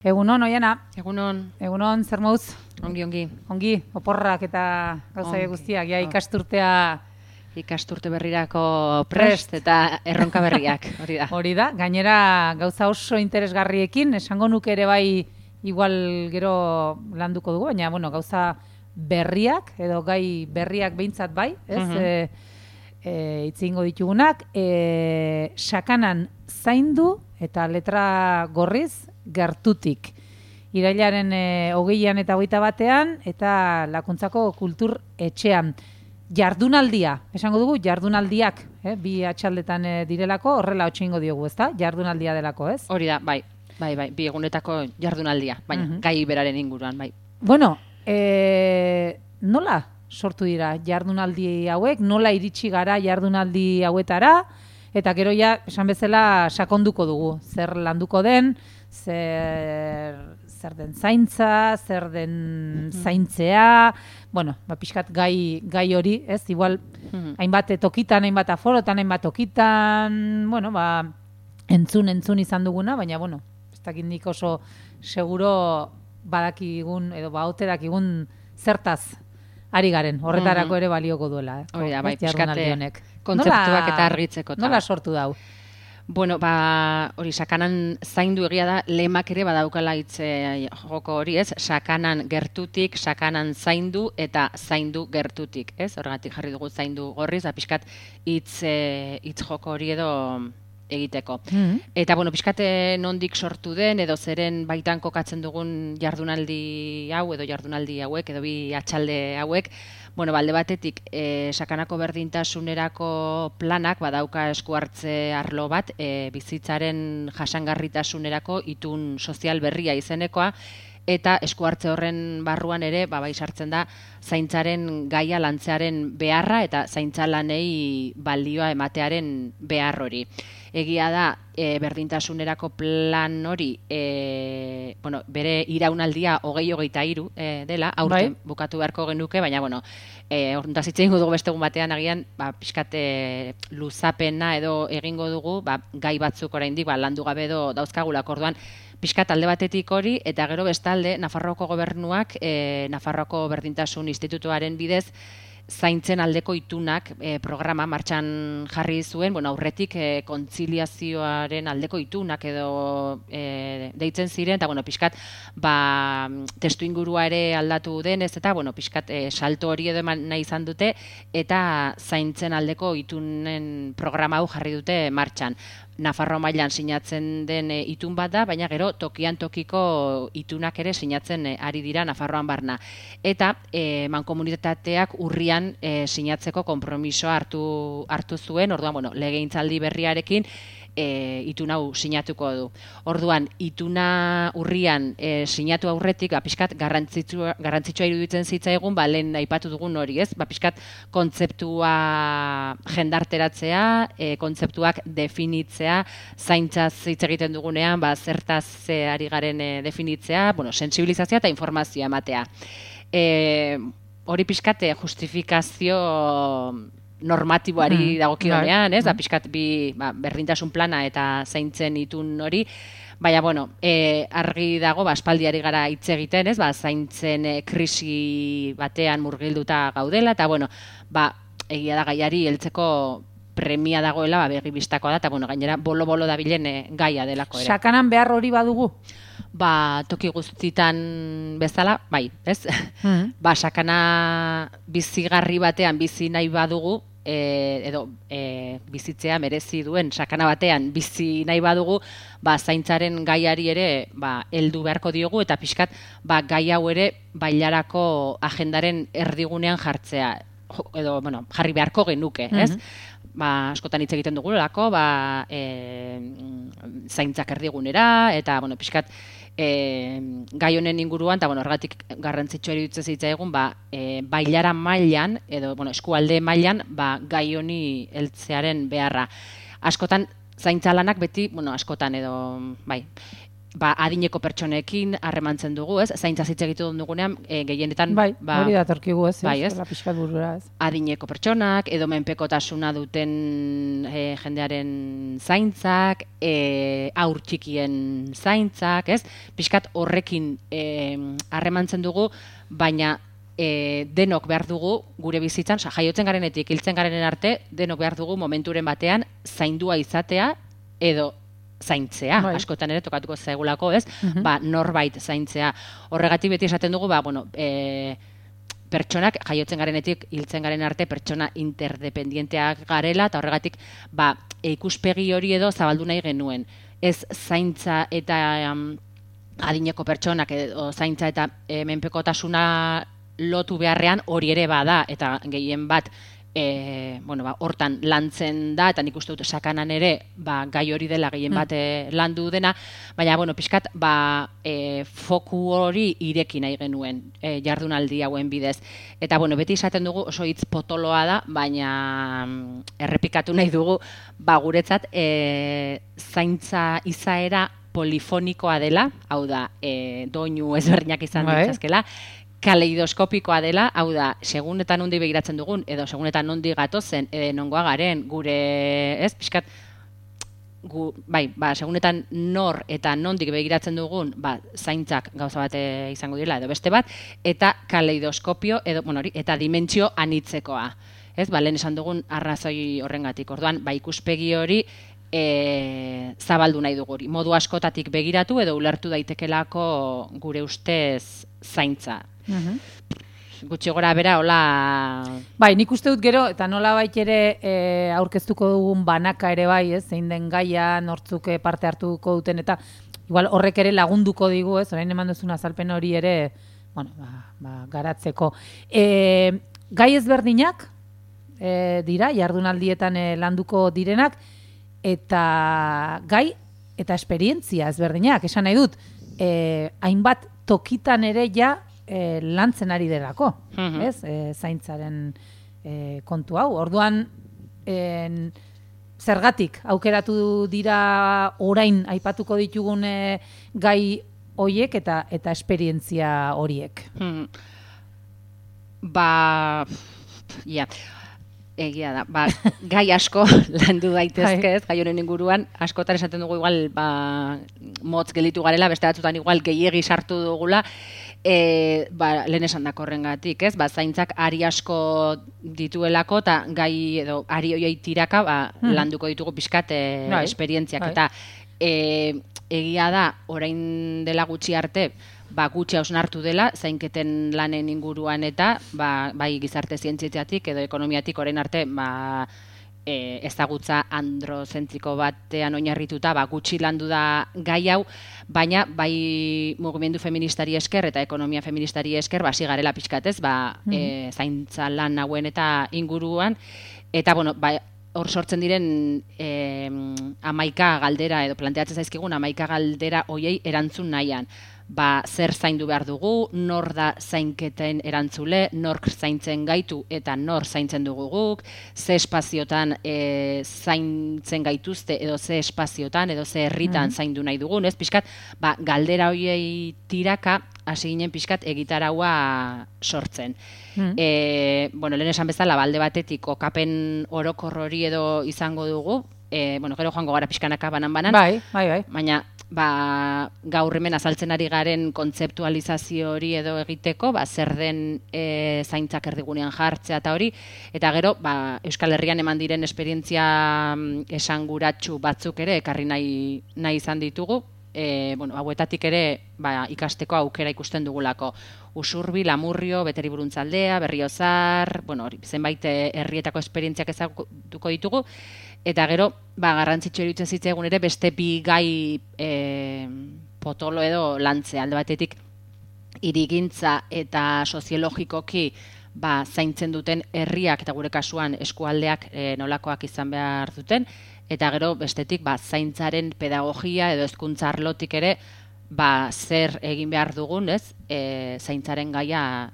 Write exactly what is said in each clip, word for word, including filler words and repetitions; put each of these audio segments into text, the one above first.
Egunon, Oiana. Egunon. Egunon, zer mauz? Ongi, ongi. Ongi, oporrak eta gauza guztiak, ja ikasturtea... Ikasturte berrirako prest eta erronka berriak, hori da. Hori da, gainera gauza oso interesgarriekin, esango nuke ere bai igual gero landuko dugu, baina bueno, gauza berriak, edo gai berriak behintzat bai, ez? Uh -huh. e, e, itzingo ditugunak, e, sakanan zaindu eta letra gorriz gertutik. Irailaren e, hogeian eta hogeita batean, eta Lakuntzako kultur etxean. Jardunaldia, esango dugu, jardunaldiak, eh? Bi atxaldetan eh, direlako, horrela otxingo diogu, ezta? Jardunaldia delako, ez? Hori da, bai, bai, bai, bi egunetako jardunaldia, baina uh -huh. gai beraren inguruan, bai. Bueno, e, nola sortu dira jardunaldi hauek, nola iritsi gara jardunaldi hauetara, eta gero ja, esan bezala, sakonduko dugu, zer landuko den, zer... zer den zaintza, zer den zaintzea, bueno, ba, pixkat gai, gai hori, ez, igual, mm-hmm. hainbat tokitan, hainbat aforotan, hainbat tokitan, bueno, ba, entzun, entzun izan duguna, baina, bueno, ez dakit nik oso seguro badakigun, edo ba, ote dakigun zertaz ari garen, horretarako mm-hmm. ere balioko duela, eh? Hori da, bai, pixkate kontzeptuak eta argitzeko. Nola sortu dau? Bueno, ba, hori, sakanan zaindu egia da, lemak ere badaukala hitze joko hori, ez? Sakanan gertutik, sakanan zaindu eta zaindu gertutik, ez? Horregatik jarri dugu zaindu gorriz, da pixkat hitz hitz joko hori edo egiteko. Mm-hmm. Eta, bueno, pixkate nondik sortu den, edo zeren baitan kokatzen dugun jardunaldi hau, edo jardunaldi hauek, edo bi atxalde hauek, bueno, balde batetik, e, sakanako berdintasunerako planak badauka esku hartze arlo bat, e, bizitzaren jasangarritasunerako itun sozial berria izenekoa, eta esku hartze horren barruan ere, ba, bai sartzen da, zaintzaren gaia lantzearen beharra, eta zaintza lanei balioa ematearen behar hori. Egia da, e, berdintasunerako plan hori, e, bueno, bere iraunaldia hogei hogeita hiru e, dela, aurten bai. Bukatu beharko genuke, baina, bueno, e, orduntaz hitz egingo dugu beste egun batean agian, ba, pixkate luzapena edo egingo dugu, ba, gai batzuk oraindik ba, landu gabe edo dauzkagulak, orduan, pixkat alde batetik hori, eta gero bestalde, Nafarroako gobernuak, e, Nafarroako Berdintasun Institutuaren bidez, zaintzen aldeko itunak e, programa martxan jarri zuen, bueno, aurretik e, kontziliazioaren aldeko itunak edo e, deitzen ziren, eta bueno, pixkat ba, testu ingurua ere aldatu denez, eta bueno, pixkat e, salto hori edo eman nahi izan dute, eta zaintzen aldeko itunen programa hau jarri dute martxan. Nafarro mailan sinatzen den e, itun bat da, baina gero tokian tokiko itunak ere sinatzen e, ari dira Nafarroan barna. Eta e, mankomunitateak urrian e, sinatzeko konpromisoa hartu, hartu zuen, orduan, bueno, legegintzaldi berriarekin E, itun hau sinatuko du. Orduan, ituna urrian e, sinatu aurretik, ba, pixkat garrantzitsua, garrantzitsua iruditzen zitzaigun, ba, lehen aipatu dugun hori, ez? Ba, pixkat kontzeptua jendarteratzea, e, kontzeptuak definitzea, zaintzaz hitz egiten dugunean, ba, zertaz e, ari garen e, definitzea, bueno, sentsibilizazioa eta informazioa ematea. E, hori pixkat justifikazio normatiboari mm. dagokionean, ez? Da pixkat bi ba, berdintasun plana eta zaintzen itun hori, baina, bueno, e, argi dago, ba, aspaldiari gara hitz egiten, ez? Ba, zaintzen e, krisi batean murgilduta gaudela, eta, bueno, ba, egia da gaiari heltzeko premia dagoela, ba, begi bistakoa da, eta, bueno, gainera, bolo-bolo dabilen e, gaia delako ere. Sakanan behar hori badugu? Ba, toki guztitan bezala, bai, ez? Mm-hmm. Ba, sakana bizigarri batean bizi nahi badugu, e, edo e, bizitzea merezi duen sakana batean bizi nahi badugu, ba, zaintzaren gaiari ere ba, heldu beharko diogu, eta pixkat ba, gai hau ere bailarako agendaren erdigunean jartzea, edo, bueno, jarri beharko genuke, ez? Mm-hmm. Ba, askotan hitz egiten dugulako, ba, e, zaintzak erdigunera, eta, bueno, pixkat, e, gai honen inguruan, eta, bueno, ergatik garrantzitsua iruditzen zitzaigun, ba, e, bailara mailan, edo, bueno, eskualde mailan, ba, gai honi heltzearen beharra. Askotan, zaintza lanak beti, bueno, askotan edo, bai, ba, adineko pertsonekin harremantzen dugu, ez? Zaintza hitz egiten dugunean, e, gehienetan... Bai, ba, hori datorkigu, ez? Bai, ez? Pixkat burura, ez? Adineko pertsonak, edo menpekotasuna duten e, jendearen zaintzak, e, aur txikien zaintzak, ez? Pixkat horrekin harremantzen e, dugu, baina e, denok behar dugu gure bizitzan, oza, jaiotzen garenetik, hiltzen garenen arte, denok behar dugu momenturen batean zaindua izatea, edo zaintzea, bai. Askotan ere tokatuko zaigulako, ez? Uh-huh. Ba, norbait zaintzea. Horregatik beti esaten dugu, ba, bueno, e, pertsonak jaiotzen garenetik hiltzen garen arte pertsona interdependienteak garela, eta horregatik ba, ikuspegi hori edo zabaldu nahi genuen. Ez zaintza eta um, adineko pertsonak edo zaintza eta e, menpekotasuna lotu beharrean hori ere bada, eta gehien bat E, bueno, ba, hortan lantzen da, eta nik uste dut sakanan ere ba, gai hori dela gehien bat e, landu dena, baina, bueno, pixkat, ba, e, foku hori ireki nahi genuen e, jardunaldi hauen bidez. Eta, bueno, beti esaten dugu oso hitz potoloa da, baina errepikatu nahi dugu, ba, guretzat, e, zaintza izaera polifonikoa dela, hau da, e, doinu ezberdinak izan ditzazkela, kaleidoskopikoa dela, hau da, segun eta nondi begiratzen dugun, edo segun eta nondi gatozen, edo nongoa garen, gure, ez, pixkat, gu, bai, ba, segun eta nor eta nondik begiratzen dugun, ba, zaintzak gauza bate izango dira, edo beste bat, eta kaleidoskopio, edo, bueno, hori, eta dimentsio anitzekoa. Ez, ba, lehen esan dugun arrazoi horrengatik. Orduan, ba, ikuspegi hori, E, zabaldu nahi dugu hori. Modu askotatik begiratu edo ulertu daitekelako gure ustez zaintza. Uh-huh. Gutxi gora bera, hola... Bai, nik uste dut gero, eta nola bait ere e, aurkeztuko dugun banaka ere bai, ez, zein den gaia, nortzuk parte hartuko duten, eta igual horrek ere lagunduko digu, ez, orain eman duzun azalpen hori ere, bueno, ba, ba, garatzeko. E, gai ezberdinak e, dira, jardunaldietan e, landuko direnak, eta gai eta esperientzia ezberdinak, esan nahi dut, eh, hainbat tokitan ere ja eh, lantzen ari delako, uh-huh. ez? Eh, zaintzaren eh, kontu hau. Orduan, en, zergatik aukeratu dira orain aipatuko ditugun eh, gai horiek eta eta esperientzia horiek. Hmm. Ba, ja... Yeah. Egia da, ba, gai asko landu daitezke ez, gai honen inguruan, askotan esaten dugu igual, ba, motz gelitu garela, beste batzutan igual gehiegi sartu dugula, e, ba, lehen esan dako horrengatik, ez, ba, zaintzak ari asko dituelako, eta gai edo ari hoiei tiraka, ba, hmm. landuko ditugu pixkat e, bai. esperientziak, bai. Eta e, egia da, orain dela gutxi arte, ba, gutxi hausnartu dela, zainketen lanen inguruan eta ba, bai gizarte zientziatik edo ekonomiatik orain arte ba, e, ezagutza androzentriko batean oinarrituta ba, gutxi landu da gai hau, baina bai mugimendu feministari esker eta ekonomia feministari esker basi garela pixkatez, ba, mm-hmm. e, zaintza lan hauen eta inguruan, eta bueno, ba, hor sortzen diren e, amaika galdera edo planteatzen zaizkigun amaika galdera hoiei erantzun nahian. Ba, zer zaindu behar dugu, nor da zainketen erantzule, nork zaintzen gaitu eta nor zaintzen dugu guk, ze espaziotan e, zaintzen gaituzte edo ze espaziotan edo ze herritan mm-hmm. zaindu nahi dugun, ez pixkat, ba, galdera hoiei tiraka hasi ginen pixkat egitaraua sortzen. Mm-hmm. E, bueno, lehen esan bezala, balde batetik okapen orokor hori edo izango dugu, e, bueno, gero joango gara pixkanaka banan-banan, bai, bai, bai. Baina ba, gaur hemen azaltzen ari garen kontzeptualizazio hori edo egiteko, ba, zer den e, zaintzak erdigunean jartzea eta hori, eta gero ba, Euskal Herrian eman diren esperientzia esanguratsu batzuk ere ekarri nahi, nahi izan ditugu, e, bueno, hauetatik ere ba, ikasteko aukera ikusten dugulako. Usurbi, Lamurrio, Beteriburuntzaldea, Berriozar, bueno, hori, zenbait herrietako esperientziak ezagutuko ditugu, eta gero, ba, garrantzitsu eruditzen zitzaigun ere beste bi gai e, potolo edo lantzea, alde batetik hirigintza eta soziologikoki ba, zaintzen duten herriak eta gure kasuan eskualdeak e, nolakoak izan behar duten, eta gero bestetik ba, zaintzaren pedagogia edo hezkuntza arlotik ere ba, zer egin behar dugun, ez, e, zaintzaren gaia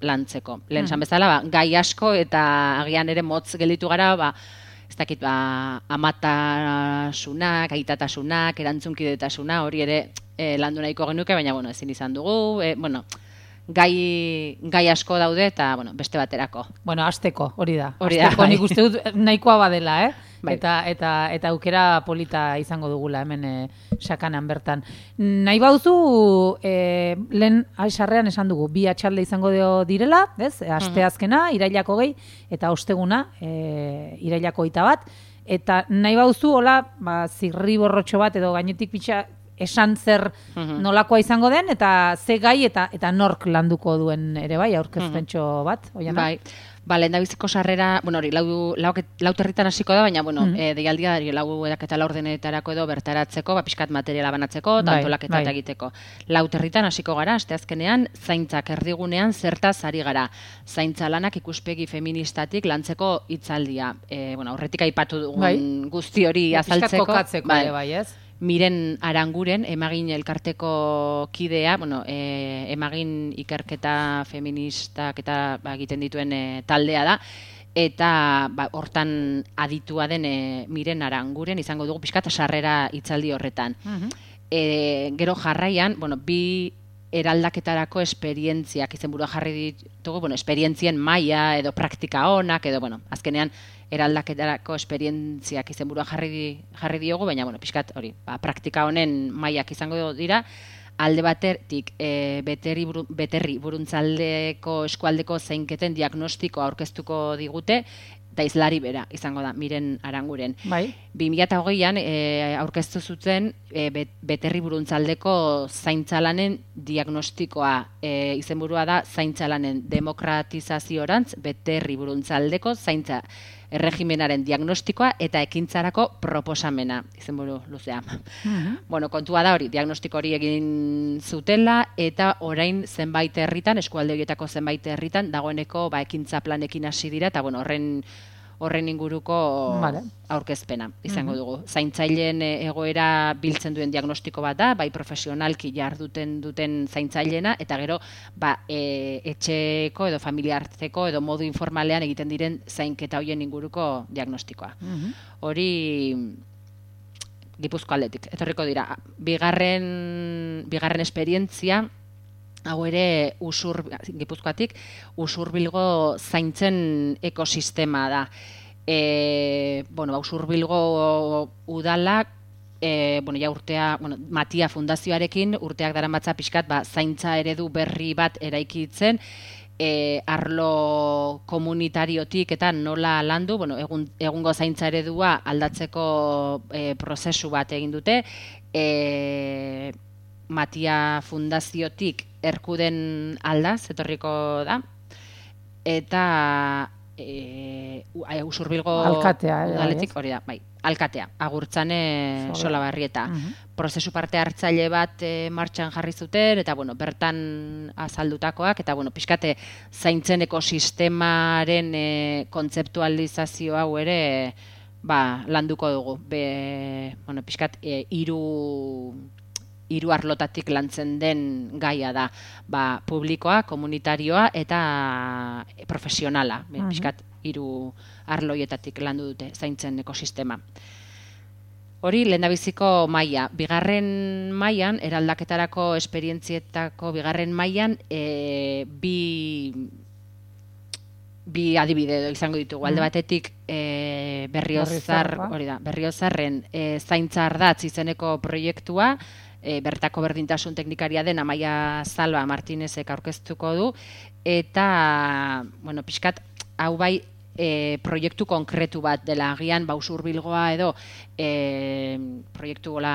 lantzeko. Lehen esan bezala, ba, gai asko eta agian ere motz gelditu gara, ba, ez dakit, ba, amatasunak, aitatasunak, erantzunkidetasuna, hori ere e, landu nahiko genuke, baina, bueno, ezin izan dugu, e, bueno, gai, gai asko daude eta, bueno, beste baterako. Bueno, asteko, hori da. Hori da, asteko bai. nik uste dut nahikoa badela, eh? Bai. Eta, eta, eta aukera polita izango dugula hemen e, sakanan bertan. Nahi bauzu, e, lehen aizarrean esan dugu, bi atxalde izango dio direla, ez? Asteazkena, irailako gehi, eta osteguna, e, irailako ita bat. Eta nahi bauzu, hola, ba, zirri borrotxo bat edo gainetik pitxa, esan zer nolakoa izango den, eta ze gai eta eta nork landuko duen ere bai, aurkezpentxo bat, oiana? Bai. Ba, lehen da biziko sarrera, bueno, hori, lau, lau, lau territan hasiko da, baina, bueno, mm -hmm. e, deialdia, lau edak eta laur denetarako edo bertaratzeko, ba, pixkat materiala banatzeko, bai, tantolaketa bai. egiteko. Lau territan hasiko gara, asteazkenean, zaintzak erdigunean zertaz ari gara. Zaintza lanak ikuspegi feministatik lantzeko hitzaldia. E, bueno, horretik aipatu dugun bai. guzti hori ba, azaltzeko. Pixkat kokatzeko, bai. bai, ez? Miren Aranguren, emagin elkarteko kidea, bueno, e, emagin ikerketa feministak eta ba, egiten dituen e, taldea da, eta ba, hortan aditua den e, Miren Aranguren izango dugu pixkat sarrera hitzaldi horretan. Uh-huh. e, gero jarraian, bueno, bi eraldaketarako esperientziak izenburua jarri ditugu, bueno, esperientzien maila edo praktika onak, edo, bueno, azkenean eraldaketarako esperientziak izenburua jarri, jarri diogu, baina, bueno, pixkat hori, ba, praktika honen mailak izango dira, alde batetik e, beterri, buru, beterri buruntzaldeko eskualdeko zeinketen diagnostikoa aurkeztuko digute, eta izlari bera izango da, Miren Aranguren. Bai. bi mila hogeian e, aurkeztu zuten e, beterri buruntzaldeko zaintzalanen diagnostikoa. E, izenburua da zaintzalanen demokratizaziorantz beterri buruntzaldeko zaintza erregimenaren diagnostikoa eta ekintzarako proposamena, izenburu luzea. Mm-hmm. Bueno, kontua da hori, diagnostiko hori egin zutela eta orain zenbait herritan, eskualde horietako zenbait herritan, dagoeneko ba, ekintza planekin hasi dira, eta bueno, horren horren inguruko vale. aurkezpena izango mm-hmm. dugu. Zaintzaileen egoera biltzen duen diagnostiko bat da, bai profesionalki jarduten duten zaintzaileena, eta gero ba, e, etxeko edo familiarteko edo modu informalean egiten diren zainketa hoien inguruko diagnostikoa. Mm-hmm. Hori Gipuzko aldetik, etorriko dira. Bigarren, bigarren esperientzia, hau ere usur, Gipuzkoatik, Usurbilgo zaintzen ekosistema da. E, bueno, Usurbilgo udalak, e, bueno, ja urtea, bueno, Matia Fundazioarekin urteak daramatza pixkat, ba, zaintza eredu berri bat eraikitzen, e, arlo komunitariotik eta nola landu, bueno, egun, egungo zaintza eredua aldatzeko e, prozesu bat egin dute, e, Matia Fundaziotik Erkuden aldaz, etorriko da, eta e, Usurbilgo alkatea, udaletik, hori da, bai, alkatea, Agurtzane Solabarrieta. Uh-huh. Prozesu parte hartzaile bat e, martxan jarri zuten, eta bueno, bertan azaldutakoak, eta bueno, pixkate zaintzen ekosistemaren e, kontzeptualizazio hau ere ba, landuko dugu. Be, bueno, pixkat e, iru... hiru arlotatik lantzen den gaia da, ba, publikoa, komunitarioa eta profesionala, uh-huh. pixkat hiru arloietatik landu dute zaintzen ekosistema. Hori lehendabiziko maila. Bigarren mailan, eraldaketarako esperientzietako bigarren mailan, e, bi bi adibide izango ditugu. Alde batetik e, Berriozar, hori da, Berriozarren e, zaintza ardatz izeneko proiektua, E, bertako berdintasun teknikaria den Amaia Zalba Martinezek aurkeztuko du, eta, bueno, pixkat, hau bai, e, proiektu konkretu bat dela, agian, ba, Usurbilgoa edo, e, proiektu gola,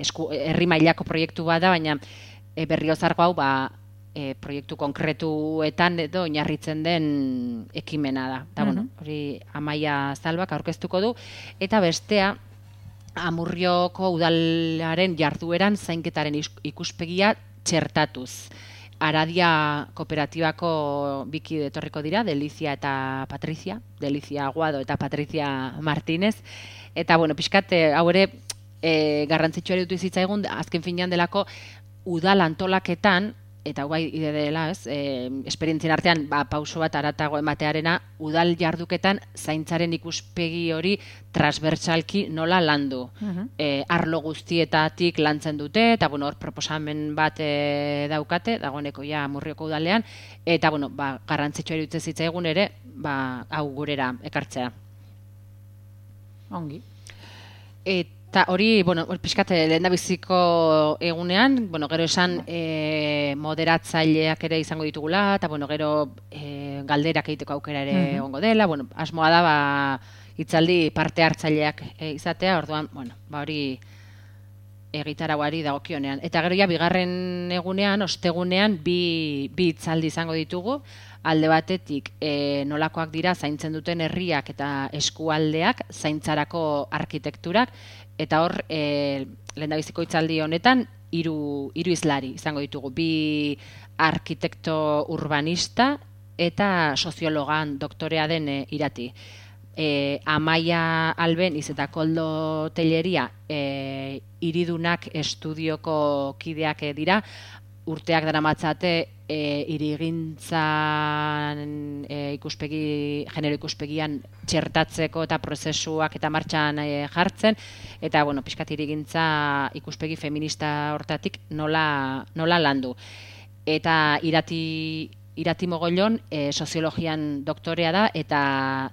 esku, herri mailako proiektu bat da, baina e, Berriozargo hau, ba, e, proiektu konkretuetan edo oinarritzen den ekimena da. Eta, bueno, hori Amaia Zalbak aurkeztuko du, eta bestea, Amurrioko udalaren jardueran zainketaren ikuspegia txertatuz. Aradia kooperatibako bikide etorriko dira, Delizia eta Patrizia, Delizia Aguado eta Patrizia Martinez. Eta, bueno, pixkat, hau ere, e, garrantzitsua erutu zitzaigun, azken finean delako, udal antolaketan, eta guai ide dela, ez, e, esperientzien artean ba, pauso bat aratago ematearena, udal jarduketan zaintzaren ikuspegi hori transbertsalki nola landu. Uh-huh. E, arlo guztietatik lantzen dute, eta bueno, hor proposamen bat e, daukate, dagoeneko ja Murrioko udalean, eta bueno, ba, garrantzitsua iruditzen zitzaigun ere, ba, hau gurera ekartzea. Ongi. Eta hori, bueno, pixkat lehendabiziko egunean, bueno, gero esan e, moderatzaileak ere izango ditugula, eta bueno, gero e, galderak egiteko aukera ere uh-huh. ongo dela, bueno, asmoa da, ba, hitzaldi parte hartzaileak e, izatea, orduan, bueno, ba hori egitarauari dagokionean. Eta gero ja, bigarren egunean, ostegunean, bi, bi hitzaldi izango ditugu, alde batetik e, nolakoak dira zaintzen duten herriak eta eskualdeak, zaintzarako arkitekturak, eta hor, e, lehendabiziko hitzaldi honetan, hiru hiru hizlari izango ditugu, bi arkitekto urbanista eta soziologan doktorea den e, Irati. E, Amaia Albeniz eta Koldo Telleria e, hiridunak estudioko kideak dira, urteak daramatzate e, hirigintzan e, ikuspegi, genero ikuspegian txertatzeko eta prozesuak eta martxan e, jartzen, eta bueno, pixkat hirigintza ikuspegi feminista hortatik nola, nola landu. Eta irati Irati Mogollon e, soziologian doktorea da eta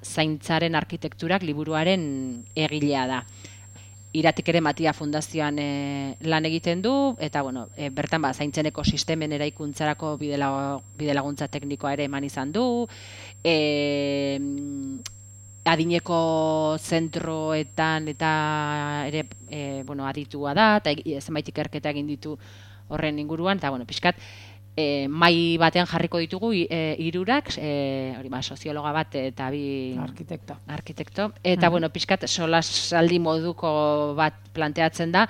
zaintzaren arkitekturak liburuaren egilea da. Iratik ere Matia Fundazioan e, lan egiten du, eta bueno, e, bertan ba, zaintzen ekosistemen eraikuntzarako bidelaguntza bidelaguntza teknikoa ere eman izan du, e, adineko zentroetan eta ere e, bueno, aditua da, eta zenbait ikerketa egin ditu horren inguruan, eta bueno, pixkat, E, mai batean jarriko ditugu e, hirurak, e, hori ba, soziologa bat eta bi arkitekto. arkitekto. Eta uh-huh. bueno, pixkat solasaldi moduko bat planteatzen da,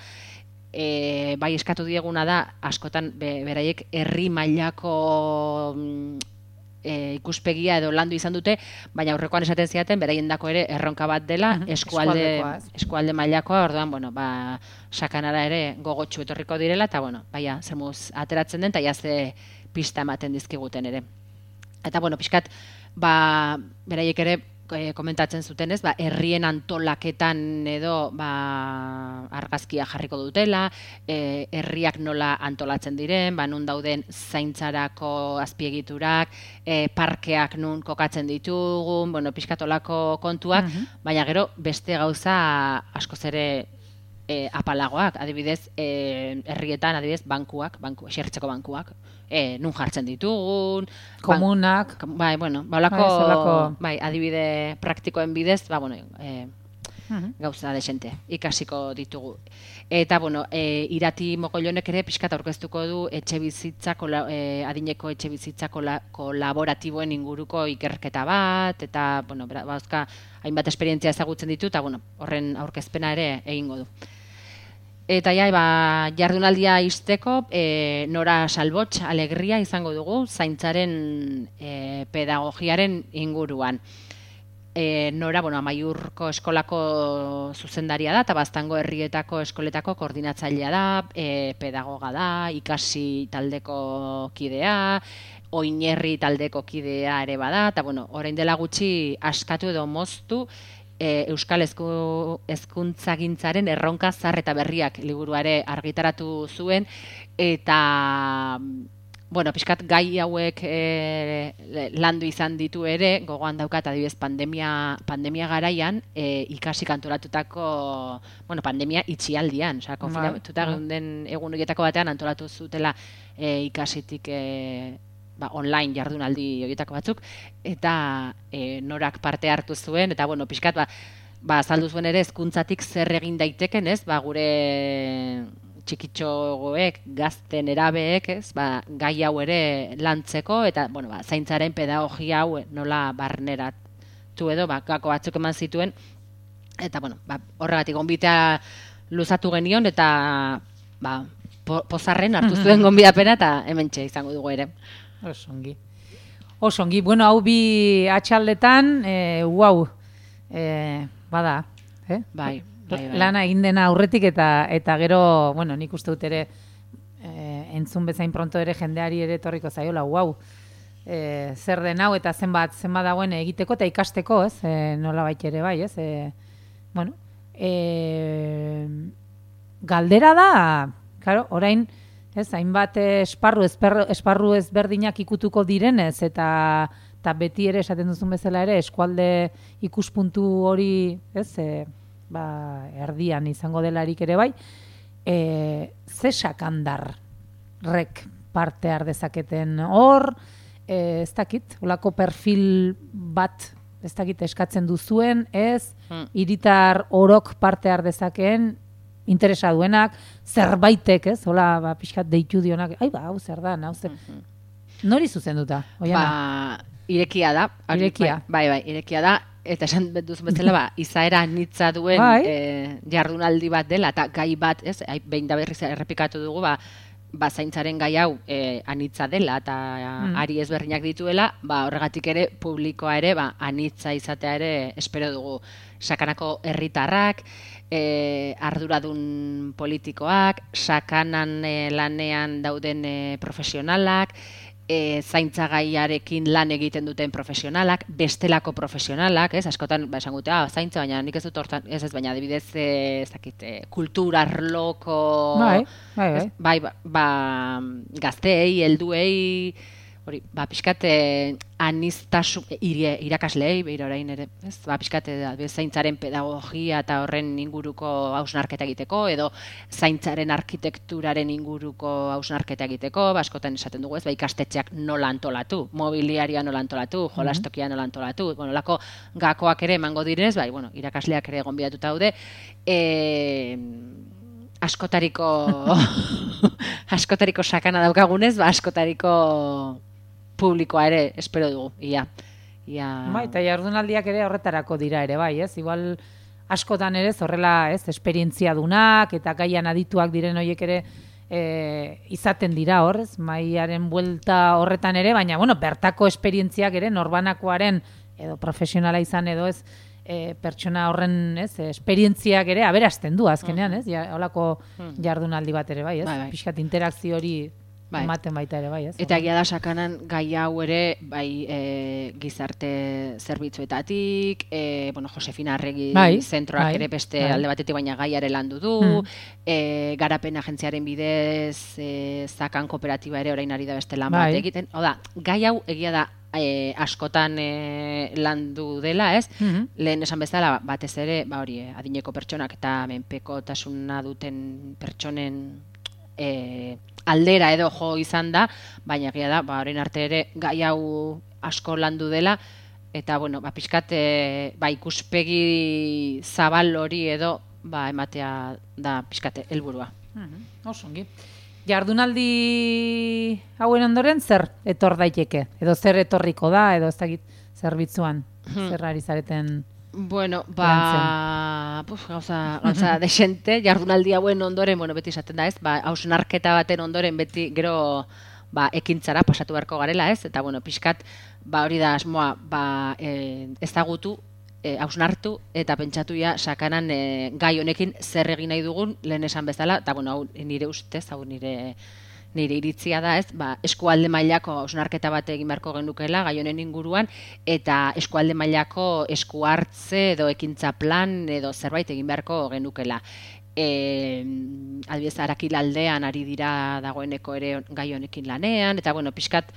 e, bai eskatu dieguna da, askotan be, beraiek herri mailako e, ikuspegia edo landu izan dute, baina aurrekoan esaten ziaten beraiendako ere erronka bat dela, uh-huh. eskualde, eskualde mailakoa, orduan, bueno, ba, sakanara ere gogotsu etorriko direla, eta bueno, baina, zemuz ateratzen den, eta jazte pista ematen dizkiguten ere. Eta bueno, pixkat, ba, beraiek ere e, komentatzen zutenez, ba, herrien antolaketan edo ba, argazkia jarriko dutela, e, herriak nola antolatzen diren, ba, nun dauden zaintzarako azpiegiturak, e, parkeak nun kokatzen ditugun, bueno, pixkatolako kontuak, uh-huh. baina gero beste gauza askoz ere E, apalagoak, adibidez, e, herrietan, adibidez, bankuak, banku, esertzeko bankuak, e, nun jartzen ditugun, komunak, ban, bai, bueno, baulako, bai, adibide praktikoen bidez, ba, bueno, e, uh-huh. gauza desente, ikasiko ditugu. Eta, bueno, e, Irati Mogollonek ere pixkat aurkeztuko du etxe bizitza, kola, e, adineko etxe bizitza kola, kolaboratiboen inguruko ikerketa bat, eta, bueno, bauzka, hainbat esperientzia ezagutzen ditu, eta, bueno, horren aurkezpena ere egingo du. Eta ja, ba, jardunaldia izteko, e, Nora Salbots alegria izango dugu, zaintzaren e, pedagogiaren inguruan. E, Nora, bueno, Amaiurko eskolako zuzendaria da, eta Baztango herrietako eskoletako koordinatzailea da, e, pedagoga da, ikasi taldeko kidea, oinerri taldeko kidea ere bada, eta bueno, orain dela gutxi askatu edo moztu, e, Euskal Hezkuntzagintzaren erronka zahar eta berriak liburuare argitaratu zuen, eta bueno, pixkat gai hauek e, landu izan ditu ere, gogoan daukat adibidez pandemia, pandemia garaian, e, ikasi kantoratutako, bueno, pandemia itxialdian, osea, konfinatuta den egun horietako batean antolatu zutela e, ikasitik e, ba, online jardunaldi horietako batzuk, eta e, Norak parte hartu zuen, eta bueno, pixkat, ba, ba azaldu zuen ere hezkuntzatik zer egin daiteken, ez, ba, gure txikitxogoek, gazten erabeek, ez, ba, gai hau ere lantzeko, eta, bueno, ba, zaintzaren pedagogia hau nola barneratu edo, ba, gako batzuk eman zituen, eta, bueno, ba, horregatik gonbitea luzatu genion, eta, ba, po, pozarren hartu zuen gonbidapena, eta hementxe izango dugu ere. Osongi. Osongi, bueno, hau bi atxaldetan, e, wow, e, bada, eh? Bai. Bai, bai. Lana egin dena aurretik eta eta gero, bueno, nik uste dut ere e, entzun bezain pronto ere jendeari ere etorriko zaiola, wow, e, zer den hau eta zenbat, zenbat dagoen egiteko eta ikasteko, ez, e, nola baita ere bai, ez, e, bueno, e, galdera da, claro, orain, ez, hainbat esparru, esparru, esparru ezberdinak ikutuko direnez, eta, eta beti ere esaten duzun bezala ere, eskualde ikuspuntu hori, ez, e, ba, erdian izango delarik ere bai, e, ze sakandarrek parte har dezaketen hor, e, ez dakit, olako perfil bat, ez dakit, eskatzen duzuen, ez, hmm. hiritar orok parte har dezakeen, interesa duenak, zerbaitek, ez, hola, ba, pixkat deitu dionak, ai, ba, hau zer da, hau zer, mm-hmm. Nori zuzenduta, Oiana? Ba, irekia da. Irekia. Bai, bai, irekia da, eta esan duzun bezala, ba, izaera nitza duen bai. e, jardunaldi bat dela, eta gai bat, ez, behin da berriz errepikatu dugu, ba, ba zaintzaren gai hau e, anitza dela eta mm. ari ezberdinak dituela, ba horregatik ere publikoa ere ba anitza izatea ere espero dugu. Sakanako herritarrak, e, arduradun politikoak, sakanan e, lanean dauden e, profesionalak, e, zaintzagaiarekin lan egiten duten profesionalak, bestelako profesionalak, ez, askotan ba esan gute, ah, zaintza, baina nik ez dut hortan, ez ez, baina adibidez, ez dakit, e, kulturarloko, bai, bai, bai. Ez, bai, ba, ba, gazteei, helduei, hori, ba, pixkat, aniztasun, irakasleei, behir orain ere, ez, ba, pixkat, zaintzaren pedagogia eta horren inguruko hausnarketa egiteko, edo zaintzaren arkitekturaren inguruko hausnarketa egiteko, ba, askotan esaten dugu, ez, ba, ikastetxeak nola antolatu, mobiliaria nola antolatu, jolastokia nola antolatu, bueno, lako gakoak ere emango direnez, bai, bueno, irakasleak ere gonbidatuta daude, e, askotariko, askotariko sakana daukagunez, ba, askotariko publikoa ere espero dugu, ia. ia... Bai, eta jardunaldiak ere horretarako dira ere, bai, ez? Igual askotan ere horrela, ez, esperientzia dunak eta gaian adituak diren horiek ere e, izaten dira hor, ez? Maiaren buelta horretan ere, baina, bueno, bertako esperientziak ere norbanakoaren edo profesionala izan edo ez, e, pertsona horren, ez, esperientziak ere aberasten du azkenean, ez? Ja, holako jardunaldi bat ere, bai, ez? Bai, bai. Pixkat interakzio hori bai. Ematen baita ere, bai, ez? Eta egia da sakanan gai hau ere, bai, e, gizarte zerbitzuetatik, e, bueno, Josefina Arregi bai, zentroak bai, ere beste bai. Alde batetik baina gaiare landu du, hmm. e, garapen agentziaren bidez, e, zakan kooperatiba ere orain ari da beste lan bai. Bat egiten. Oda, gai hau egia da e, askotan e, landu dela, ez? Hmm. Lehen esan bezala, batez ere, ba hori, adineko pertsonak eta menpekotasuna duten pertsonen e, aldera edo jo izan da, baina egia da, ba, orain arte ere gai hau asko landu dela, eta, bueno, ba, pixkat, e, ba, ikuspegi zabal hori edo, ba, ematea da pixkate helburua. Mm-hmm. Osongi. Jardunaldi hauen ondoren zer etor daiteke? Edo zer etorriko da, edo ez dakit zerbitzuan, hmm. zer ari zareten... Bueno, ba, puf, gauza, gauza desente, jardunaldi hauen ondoren, bueno, beti esaten da ez, ba, hausnarketa baten ondoren beti gero ba, ekintzara pasatu beharko garela ez, eta bueno, pixkat, ba, hori da asmoa, ba, e, ezagutu, e, hausnartu, eta pentsatu ja, sakanan e, gai honekin zer egin nahi dugun, lehen esan bezala, eta bueno, hau nire ustez, hau nire... nire iritzia da, ez, ba, eskualde mailako hausnarketa bat egin beharko genukela gai honen inguruan eta eskualde mailako esku hartze edo ekintza plan edo zerbait egin beharko genukela. Eh, adibidez Arakilaldean ari dira dagoeneko ere gai honekin lanean eta bueno, pixkat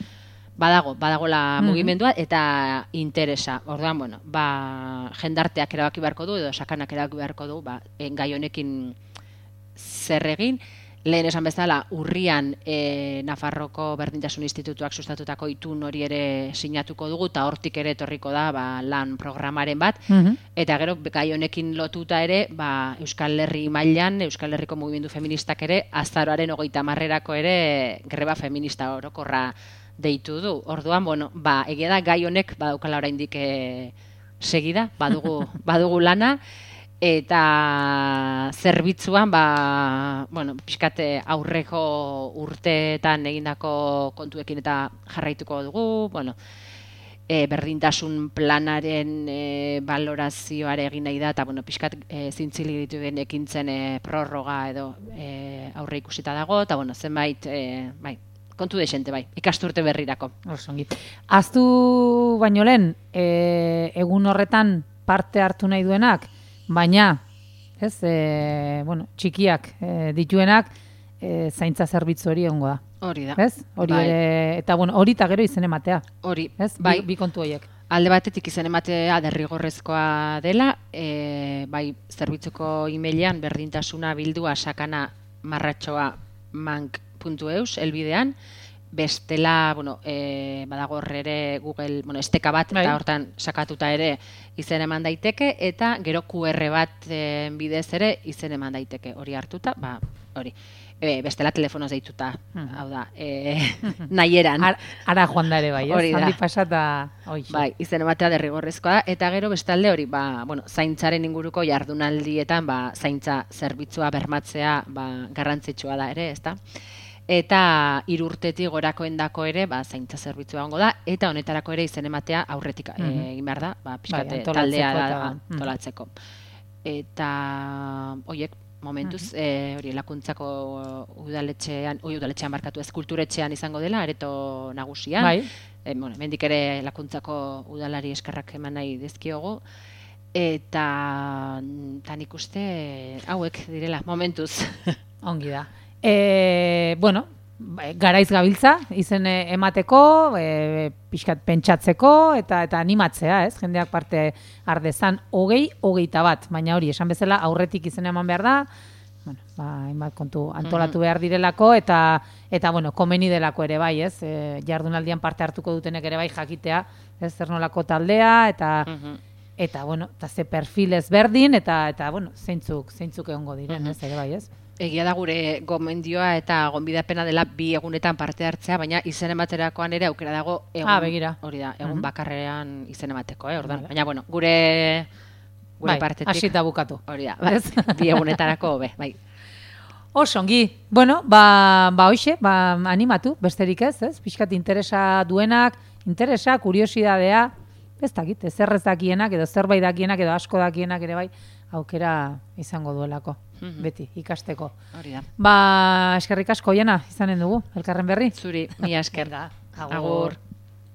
badago, badagola mm-hmm. mugimendua eta interesa. Orduan, bueno, ba, jendarteak erabaki beharko du edo sakanak erabaki beharko du, ba, gai honekin zer egin. Lehen esan bezala, urrian e, Nafarroko Berdintasun Institutuak sustatutako itun hori ere sinatuko dugu, eta hortik ere etorriko da ba, lan programaren bat, mm-hmm. eta gero gai honekin lotuta ere, ba, Euskal Herri mailan, Euskal Herriko mugimendu feministak ere, azaroaren hogeita hamarrerako ere greba feminista orokorra deitu du. Orduan, bueno, ba, egia da gai honek badaukala oraindik e, segida, badugu, badugu lana, eta zerbitzuan, ba, bueno, pixkate aurreko urteetan egindako kontuekin eta jarraituko dugu, bueno, e, berdintasun planaren e, balorazioare egin nahi da, eta bueno, pixkat e, zintzili dituen ekintzen e, prorroga edo e, aurre ikusita dago, eta bueno, zenbait, e, bai, kontu desente bai, ikasturte berrirako. Osongi. Aztu baino lehen, e, egun horretan parte hartu nahi duenak, baina, ez, e, bueno, txikiak e, dituenak, e, zaintza zerbitzu hori egongo da. Hori da. Ez? Hori bai. ere, eta bueno, hori eta gero izen ematea. Hori, ez? bai. Bi, bi kontu horiek. Alde batetik izen ematea derrigorrezkoa dela, e, bai, zerbitzuko emailean berdintasuna bildua sakana marratxoa mank puntu eus, elbidean, bestela, bueno, e, badago horre ere Google, bueno, esteka bat, bai. Eta hortan sakatuta ere izen eman daiteke, eta gero Q R bat e, bidez ere izen eman daiteke, hori hartuta, ba, hori. E, bestela telefonoz deituta, hmm. hau da, e, nahieran. Ar, ara joan da ere bai, ez? Handi pasata, oixe. Bai, izen ematea derrigorrezkoa da, eta gero bestalde hori, ba, bueno, zaintzaren inguruko jardunaldietan, ba, zaintza zerbitzua bermatzea, ba, garrantzitsua da ere, ezta? Eta hiru urtetik gorakoendako ere, ba, zaintza zerbitzua egongo da, eta honetarako ere izen ematea aurretik mm -hmm. egin behar da, ba, pixkate bai, taldea da, antolatzeko. Eta, oiek, momentuz, mm -hmm. e, hori, lakuntzako udaletxean, oi, udaletxean markatu ez, kulturetxean izango dela, areto nagusian. Bai. E, bueno, mendik ere lakuntzako udalari eskerrak eman nahi dizkiogu. Eta, tan ikuste, hauek direla, momentuz. Ongi da. E, bueno, garaiz gabiltza, izen emateko, e, pixkat pentsatzeko, eta eta animatzea, ez? Jendeak parte ardezan hogei, hogeita bat, baina hori, esan bezala, aurretik izen eman behar da, bueno, ba, hainbat kontu antolatu behar direlako, eta, eta bueno, komeni delako ere bai, ez? E, jardunaldian parte hartuko dutenek ere bai jakitea, ez? Zer nolako taldea, eta... Eta, bueno, eta ze perfil ezberdin, eta, eta bueno, zeintzuk, zeintzuk egongo diren, ez, ere bai, ez? Egia da gure gomendioa eta gonbidapena dela bi egunetan parte hartzea, baina izen ematerakoan ere aukera dago egun, ah, begira. Hori da, egun uh -huh. bakarrean izen emateko, eh, ordan. Baina, bueno, gure, gure bai, partetik. Hasita bukatu. Hori da, bai, bi egunetarako hobe, bai. Osongi, bueno, ba, ba hoxe, ba, animatu, besterik ez, ez? Pixkat interesa duenak, interesa, kuriosidadea, ez dakit, ez errez dakienak, edo zerbait dakienak, edo asko dakienak ere bai, aukera izango duelako, mm-hmm. beti, ikasteko. Hori da. Ba, eskerrik asko, Jana, izanen dugu, elkarren berri. Zuri, mila esker. Agur. Agur.